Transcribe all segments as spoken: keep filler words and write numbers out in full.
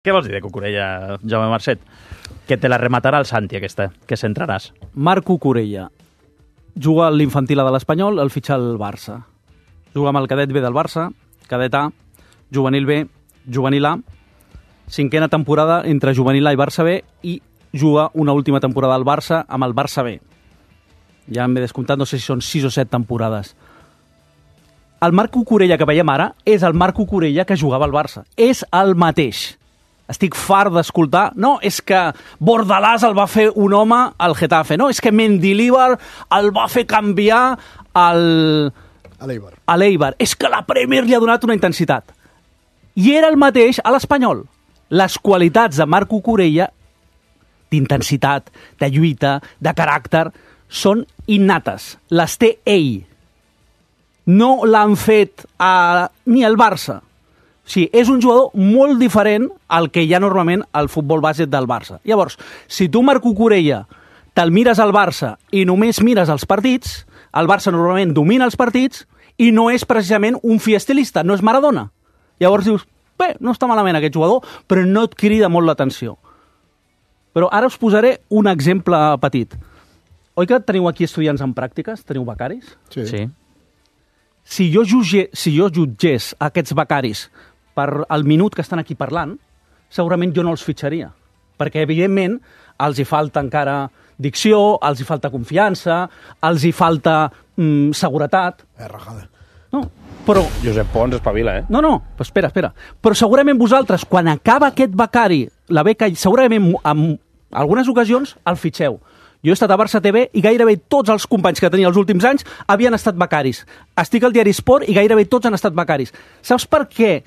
Què vols dir de Cucurella, Jaume Marcet? Que te la rematarà el Santi, aquesta, que centraràs. Marc Cucurella juga a l'infantil A de l'Espanyol, el fitxa al Barça. Juga amb el cadet B del Barça, cadet A, juvenil B, juvenil A, cinquena temporada entre juvenil A i Barça B, i juga una última temporada al Barça amb el Barça B. Ja m'he descomptat, no sé si són sis o set temporades. El Marc Cucurella que veiem ara és el Marc Cucurella que jugava al Barça. És el mateix. Estic fart d'escoltar, no, és que Bordalàs el va fer un home al Getafe, no, és que Mendilibar el va fer canviar al... a l'Eibar. A l'Eibar. És que la Premier li ha donat una intensitat. I era el mateix a l'Espanyol. Les qualitats de Marc Cucurella, d'intensitat, de lluita, de caràcter, són innates. Les té ell. No l'han fet a... ni el Barça. Sí, és un jugador molt diferent al que hi ha normalment al futbol base del Barça. Llavors, si tu, Marc Cucurella, te'l mires al Barça i només mires els partits, el Barça normalment domina els partits i no és precisament un fi estilista, no és Maradona. Llavors dius, bé, no està malament aquest jugador, però no et crida molt l'atenció. Però ara us posaré un exemple petit. Oi que teniu aquí estudiants en pràctiques? Teniu becaris? Sí. Sí. Si jo, jutge, si jo jutgés aquests becaris per el minut que estan aquí parlant, segurament jo no els fitxaria. Perquè, evidentment, els hi falta encara dicció, els hi falta confiança, els hi falta mm, seguretat. Eh, rajada. No, però... Josep Pons espavila, eh? No, no, espera, espera. Però segurament vosaltres, quan acaba aquest becari, la beca, segurament en algunes ocasions el fitxeu. Jo he estat a Barça T V i gairebé tots els companys que tenia els últims anys havien estat becaris. Estic al diari Sport i gairebé tots han estat becaris. Saps per què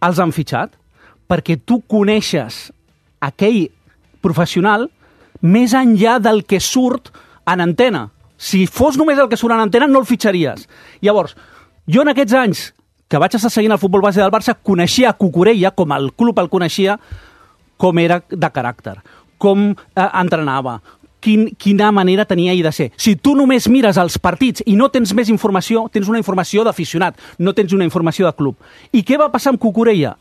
els han fitxat? Perquè tu coneixes aquell professional més enllà del que surt en antena. Si fos només el que surt en antena, no el fitxaries. Llavors, jo en aquests anys que vaig estar seguint el futbol base del Barça, coneixia Cucurella, com el club el coneixia, com era de caràcter, com eh, entrenava, Quin, quina manera tenia ell de ser. Si tu només mires els partits i no tens més informació, tens una informació d'aficionat, no tens una informació de club. I què va passar amb Cucurella?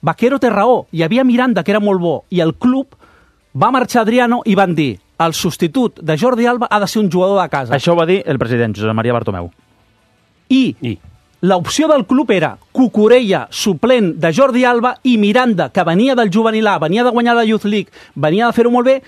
Vaquero té raó, hi havia Miranda, que era molt bo, i el club va marxar Adriano i van dir el substitut de Jordi Alba ha de ser un jugador de casa. Això ho va dir el president, Josep Maria Bartomeu. I, I. l'opció del club era Cucurella, suplent de Jordi Alba, i Miranda, que venia del juvenil A, venia de guanyar la Youth League, venia de fer-ho molt bé,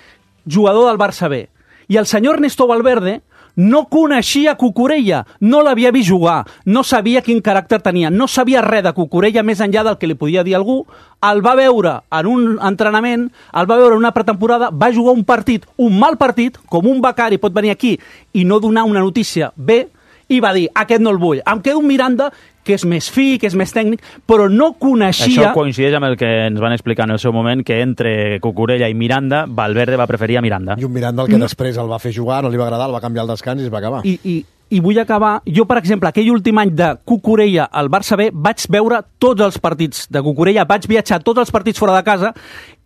jugador del Barça B. I el senyor Ernesto Valverde no coneixia Cucurella, no l'havia vist jugar, no sabia quin caràcter tenia, no sabia res de Cucurella més enllà del que li podia dir algú, el va veure en un entrenament, el va veure en una pretemporada, va jugar un partit, un mal partit, com un becari pot venir aquí i no donar una notícia bé, i va dir, aquest no el vull. Em quedo un Miranda, que és més fi, que és més tècnic, però no coneixia... Això coincideix amb el que ens van explicar en el seu moment, que entre Cucurella i Miranda, Valverde va preferir a Miranda. I un Miranda el que després el va fer jugar, no li va agradar, el va canviar al descans i es va acabar. I, i, i vull acabar... Jo, per exemple, aquell últim any de Cucurella al Barça B, vaig veure tots els partits de Cucurella, vaig viatjar tots els partits fora de casa,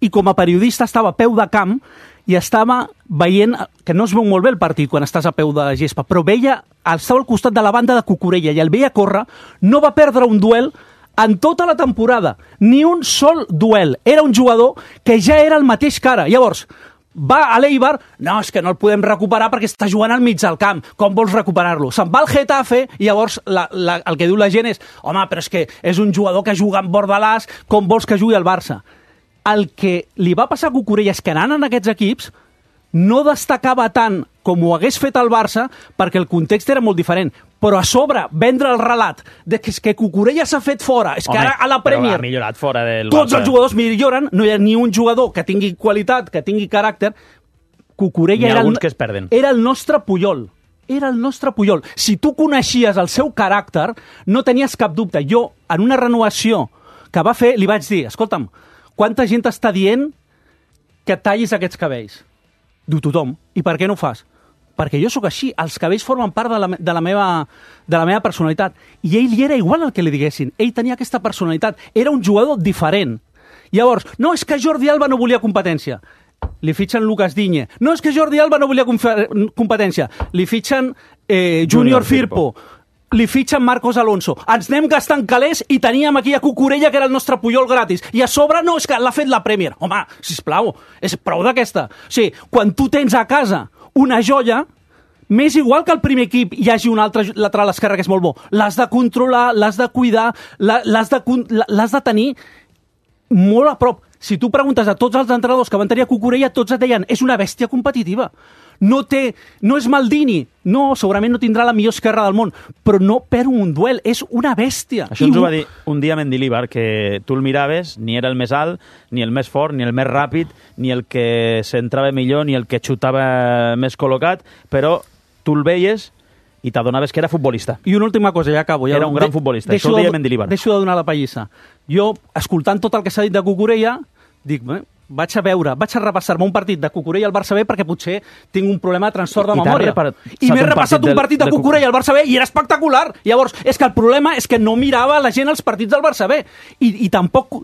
i com a periodista estava a peu de camp i estava veient, que no es veu molt bé el partit quan estàs a peu de gespa, però veia, estava al costat de la banda de Cucurella i el veia córrer, no va perdre un duel en tota la temporada, ni un sol duel. Era un jugador que ja era el mateix que ara. Llavors, va a l'Eibar, no, és que no el podem recuperar perquè està jugant al mig del camp, com vols recuperar-lo? Se'n va al Getafe i llavors la, la, el que diu la gent és, home, però és que és un jugador que juga amb Bordalàs, com vols que jugui al Barça? El que li va passar a Cucurella és que anant en aquests equips no destacava tant com ho hagués fet el Barça perquè el context era molt diferent. Però a sobre, vendre el relat de que, és que Cucurella s'ha fet fora, és que Home, ara a la Premier ha millorat fora del tots Barça. Els jugadors milloren, no hi ha ni un jugador que tingui qualitat, que tingui caràcter. Cucurella era el, que es perden. era el nostre Puyol. Era el nostre Puyol. Si tu coneixies el seu caràcter, no tenies cap dubte. Jo, en una renovació que va fer, li vaig dir, escolta'm, quanta gent està dient que tallis aquests cabells? Diu tothom. I per què no ho fas? Perquè jo sóc així. Els cabells formen part de la, de la, meva, de la meva personalitat. I ell li era igual el que li diguessin. Ell tenia aquesta personalitat. Era un jugador diferent. Llavors, no, és que Jordi Alba no volia competència. Li fitxen Lucas Digne. No, és que Jordi Alba no volia competència. Li fitxen eh, Junior, Junior Firpo. Firpo. li fitxen Marcos Alonso. Ens anem gastant calés i teníem aquí a Cucurella, que era el nostre Puyol gratis. I a sobre, no, és que l'ha fet la Premier. Home, sisplau, és prou d'aquesta. O sigui, quan tu tens a casa una joia, m'és igual que al primer equip hi hagi un altre lateral esquerre que és molt bo. L'has de controlar, l'has de cuidar, l'has de, l'has de tenir molt a prop. Si tu preguntes a tots els entrenadors que van tenir a Cucurella, tots et deien, és una bèstia competitiva. No té, no és Maldini, no, segurament no tindrà la millor esquerra del món, però no perd un duel, és una bèstia. Això ens ho va dir un dia Mendilibar, que tu el miraves, ni era el més alt, ni el més fort, ni el més ràpid, ni el que s'entrava millor, ni el que xutava més col·locat, però tu el veies i t'adonaves que era futbolista. I una última cosa, ja acabo. Ja era un gran futbolista, això ho deia Mendilibar. Deixo de donar la pallissa. Jo, escoltant tot el que s'ha dit de Cucurella, dic, eh, vaig a veure, vaig a repassar-me un partit de Cucurella al Barça B perquè potser tinc un problema de trastorn de memòria. I m'he repassat un partit de Cucurella al Barça B i era espectacular. Llavors, és que el problema és que no mirava la gent els partits del Barça B. I, i tampoc...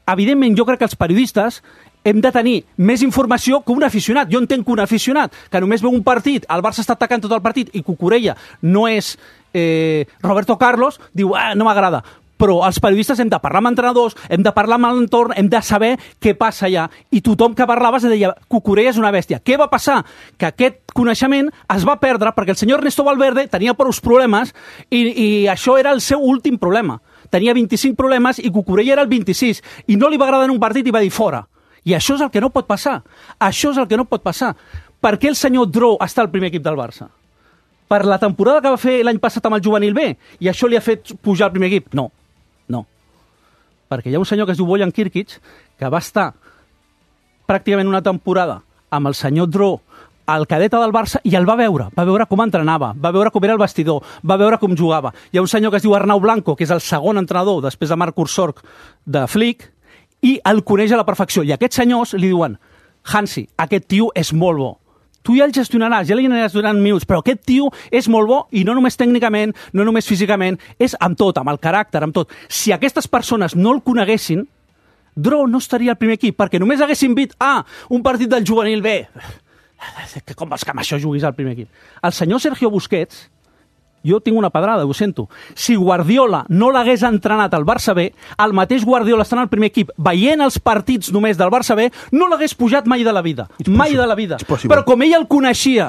Evidentment, jo crec que els periodistes hem de tenir més informació que un aficionat. Jo entenc que un aficionat que només veu un partit, el Barça està atacant tot el partit i Cucurella no és eh, Roberto Carlos, diu, ah, no m'agrada. Però els periodistes hem de parlar amb entrenadors, hem de parlar amb l'entorn, hem de saber què passa allà. I tothom que parlava es deia, Cucurella és una bèstia. Què va passar? Que aquest coneixement es va perdre perquè el senyor Ernesto Valverde tenia prou problemes i, i això era el seu últim problema. Tenia vint-i-cinc problemes i Cucurella era el vint-i-sis. I no li va agradar en un partit i va dir fora. I això és el que no pot passar. Això és el que no pot passar. Per què el senyor Drou està al primer equip del Barça? Per la temporada que va fer l'any passat amb el juvenil B i això li ha fet pujar al primer equip? No. No, perquè hi ha un senyor que es diu Bojan Kirkic que va estar pràcticament una temporada amb el senyor Dró al cadeta del Barça i el va veure, va veure com entrenava, va veure com era el vestidor, va veure com jugava. Hi ha un senyor que es diu Arnau Blanco, que és el segon entrenador després de Marc Ursorg de Flick, i el coneix a la perfecció. I aquests senyors li diuen, Hansi, aquest tio és molt bo. Tu ja el gestionaràs, ja li aniràs donant minuts, però aquest tio és molt bo i no només tècnicament, no només físicament, és amb tot, amb el caràcter, amb tot. Si aquestes persones no el coneguessin, Dró no estaria al primer equip, perquè només haguessin vist, ah, un partit del juvenil B. Que com vols que amb això juguis al primer equip? El senyor Sergio Busquets, jo tinc una pedrada, ho sento. Si Guardiola no l'hagués entrenat al Barça B, el mateix Guardiola estant al primer equip, veient els partits només del Barça B, no l'hagués pujat mai de la vida. Mai de la vida. Però com ell el coneixia,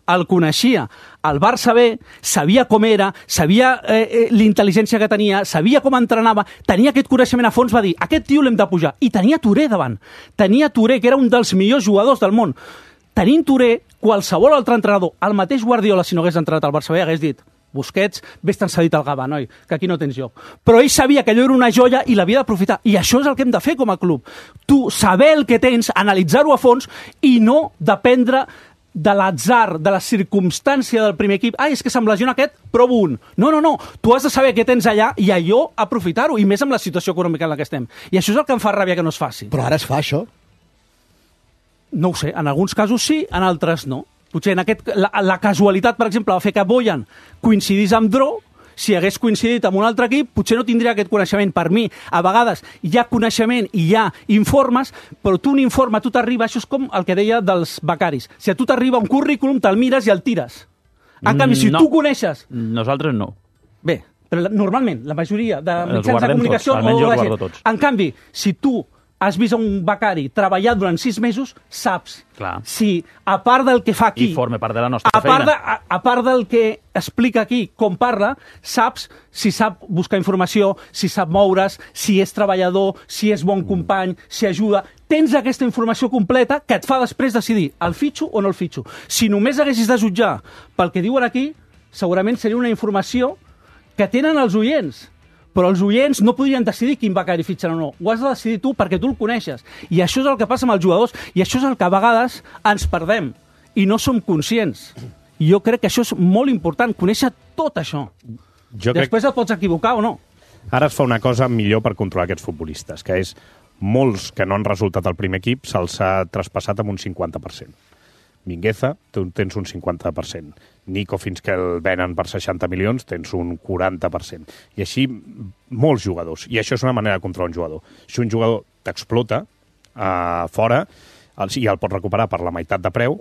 el coneixia, el Barça B sabia com era, sabia eh, eh, l'intel·ligència que tenia, sabia com entrenava, tenia aquest coneixement a fons, va dir, aquest tio l'hem de pujar. I tenia Touré davant. Tenia Touré, que era un dels millors jugadors del món. Tenint Touré, qualsevol altre entrenador, el mateix Guardiola, si no hagués entrenat al Barça B, hagués dit, Busquets, vés-te'n cedit al Gavà, noi, que aquí no tens lloc. Però ell sabia que allò era una joia i l'havia d'aprofitar. I això és el que hem de fer com a club. Tu saber el que tens, analitzar-ho a fons i no dependre de l'atzar, de la circumstància del primer equip. Ah, és que se'm lesiona aquest, provo un. No, no, no. Tu has de saber què tens allà i allò aprofitar-ho, i més amb la situació econòmica en la que estem. I això és el que em fa ràbia que no es faci. Però ara es fa, això? No ho sé. En alguns casos sí, en altres no. Potser en aquest, la, la casualitat, per exemple, va fer que Bojan coincidís amb Dró. Si hagués coincidit amb un altre equip, potser no tindria aquest coneixement. Per mi, a vegades, hi ha coneixement i hi ha informes, però tu un informe, tu t'arriba, això és com el que deia dels becaris. Si a tu t'arriba un currículum, te'l mires i el tires. En canvi, si no. tu coneixes... Nosaltres no. Bé, però la, normalment, la majoria de mitjans de comunicació... Tots. Almenys jo els guardo tots. En canvi, si tu has vist un becari treballar durant sis mesos, saps Clar. si, a part del que fa aquí... I forma part de la nostra a part feina. de, a, a part del que explica aquí, com parla, saps si sap buscar informació, si sap moure's, si és treballador, si és bon company, si ajuda... Tens aquesta informació completa que et fa després decidir el fitxo o no el fitxo. Si només haguessis de jutjar pel que diuen aquí, segurament seria una informació que tenen els oients. Però els oients no podrien decidir quin becari fitxen o no. Ho has de decidir tu perquè tu el coneixes. I això és el que passa amb els jugadors i això és el que a vegades ens perdem i no som conscients. I jo crec que això és molt important, conèixer tot això. Jo Després crec... et pots equivocar o no. Ara es fa una cosa millor per controlar aquests futbolistes, que és molts que no han resultat al primer equip se'ls ha traspassat amb un cinquanta per cent. Mingueza, tu tens un cinquanta per cent. Nico, fins que el venen per seixanta milions, tens un quaranta per cent. I així, molts jugadors. I això és una manera de controlar un jugador. Si un jugador t'explota uh, fora el, i el pot recuperar per la meitat de preu,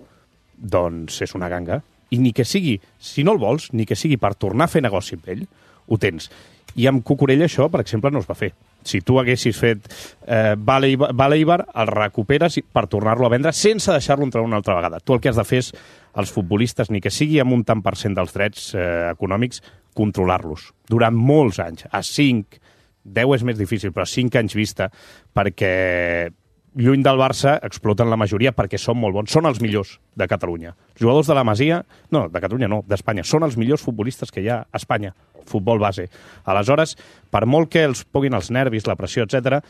doncs és una ganga. I ni que sigui, si no el vols, ni que sigui per tornar a fer negoci amb ell, ho tens. I amb Cucurella això, per exemple, no es va fer. Si tu haguessis fet eh, Vale Eibar, el recuperes per tornar-lo a vendre sense deixar-lo entrar una altra vegada. Tu el que has de fer és, els futbolistes, ni que sigui amb un tant per cent dels drets eh, econòmics, controlar-los durant molts anys. A cinc, deu és més difícil, però a cinc anys vista, perquè lluny del Barça exploten la majoria perquè són molt bons. Són els millors de Catalunya. Els jugadors de la Masia, no, de Catalunya no, d'Espanya, són els millors futbolistes que hi ha a Espanya. Futbol base. Aleshores, per molt que els puguin els nervis, la pressió, etcètera,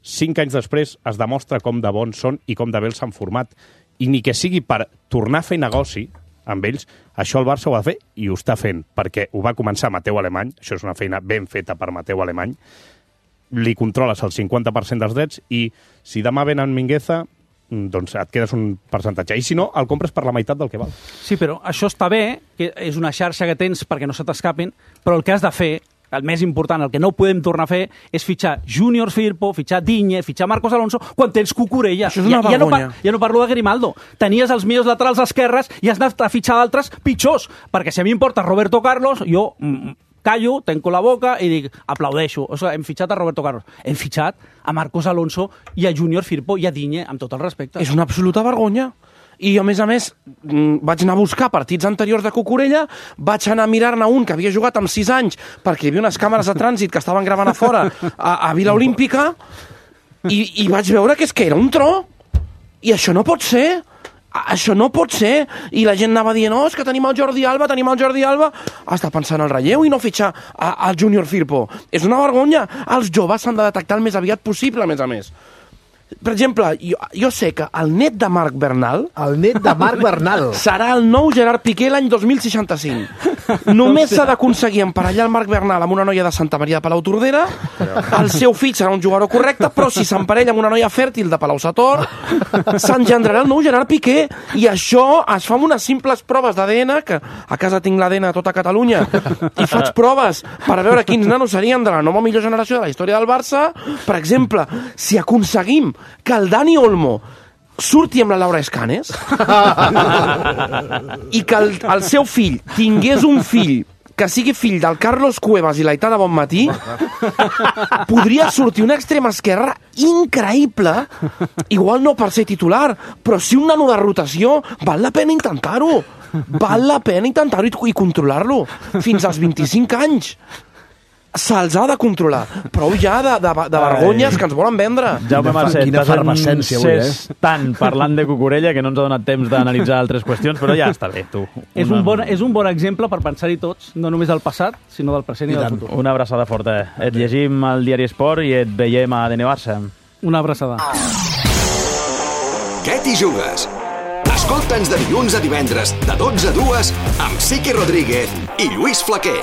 cinc anys després es demostra com de bons són i com de bé els han format. I ni que sigui per tornar a fer negoci amb ells, això el Barça ho ha de fer i ho està fent, perquè ho va començar Mateu Alemany, això és una feina ben feta per Mateu Alemany, li controles el cinquanta per cent dels drets i si demà venen Mingueza, doncs et quedes un percentatge. I si no, el compres per la meitat del que val. Sí, però això està bé, que és una xarxa que tens perquè no se t'escapin, però el que has de fer, el més important, el que no podem tornar a fer, és fitxar Júnior Firpo, fitxar Digne, fitxar Marcos Alonso, quan tens Cucurella. Això és una ja, ja, no, vergonya. ja no parlo de Grimaldo. Tenies els millors laterals esquerres i has anat a fitxar d'altres pitjors, perquè si a mi em porta Roberto Carlos, jo mm, callo, tenco la boca i dic, aplaudeixo. O sigui, hem fitxat a Roberto Carlos. Hem fitxat a Marcos Alonso i a Júnior Firpo i a Digne, amb tot el respecte. És una absoluta vergonya. I a més a més, vaig anar a buscar partits anteriors de Cucurella, vaig anar a mirar-ne un que havia jugat amb sis anys perquè hi havia unes càmeres de trànsit que estaven gravant a fora a, a Vila Olímpica i, i vaig veure que és que era un tro. I això no pot ser. Això no pot ser. I la gent anava dient, oh, és que tenim el Jordi Alba, tenim el Jordi Alba. Està pensant al relleu i no fitxar al Júnior Firpo. És una vergonya. Els joves s'han de detectar el més aviat possible, a més a més. Per exemple, jo, jo sé que el net de Marc Bernal... El net de Marc Bernal. Serà el nou Gerard Piqué l'any dos mil seixanta-cinc. Només s'ha d'aconseguir emparellar el Marc Bernal amb una noia de Santa Maria de Palau-Tordera, el seu fill serà un jugador correcte, però si s'emparella amb una noia fèrtil de Palau-Sator, s'engendrarà el nou Gerard Piqué. I això es fa amb unes simples proves d'A D N, que a casa tinc l'A D N a tota Catalunya, i faig proves per veure quins nanos serien de la nova millor generació de la història del Barça. Per exemple, si aconseguim que el Dani Olmo surti amb la Laura Escanes i que el, el seu fill tingués un fill que sigui fill del Carlos Cuevas i l'Aitana Bonmatí, podria sortir una extrema esquerra increïble, igual no per ser titular, però si un nano de rotació, val la pena intentar-ho. Val la pena intentar-ho i, i controlar-lo fins als vint-i-cinc anys. Se'ls ha de controlar. Prou ja de, de, de vergonyes que ens volen vendre. Jaume Marcet, Quina t'has efervescència avui, encès tant parlant de Cucurella que no ens ha donat temps d'analitzar altres qüestions, però ja està bé, tu. És un, bon, és un bon exemple per pensar-hi tots, no només del passat, sinó del present i, i del futur. Una abraçada forta. Et llegim al Diari Esport i et veiem a A D N Barça. Una abraçada. Què t'hi jugues? Escolta'ns de dilluns a divendres, de dotze a dues, amb Siqui Rodríguez i Lluís Flaquer.